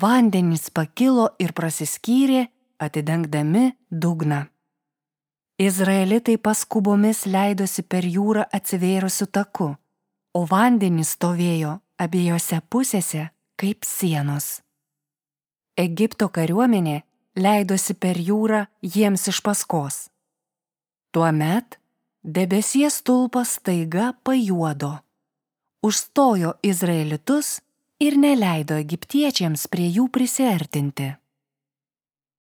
vandenys pakilo ir prasiskyrė, atidengdami dugną. Izraelitai paskubomis leidosi per jūrą atsivėrusiu taku, o vandenys stovėjo abiejose pusėse kaip sienos. Egipto kariuomenė leidosi per jūrą jiems iš paskos. Tuomet debesies stulpas staiga pajuodo, užstojo izraelitus ir neleido egiptiečiams prie jų prisiartinti.